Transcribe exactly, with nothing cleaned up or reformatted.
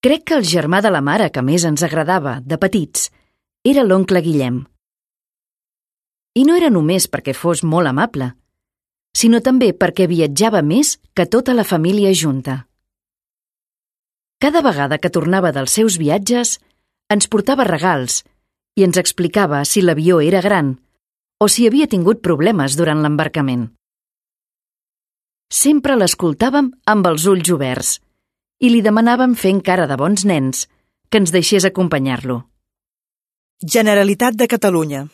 Crec que el germà de la mare que més ens agradava, de petits, era l'oncle Guillem. I no era només perquè fos molt amable, sinó també perquè viatjava més que tota la família junta. Cada vegada que tornava dels seus viatges, ens portava regals i ens explicava si l'avió era gran o si havia tingut problemes durant l'embarcament. Sempre l'escoltàvem amb els ulls oberts i li demanàvem fent cara de bons nens que ens deixés acompanyar-lo. Generalitat de Catalunya.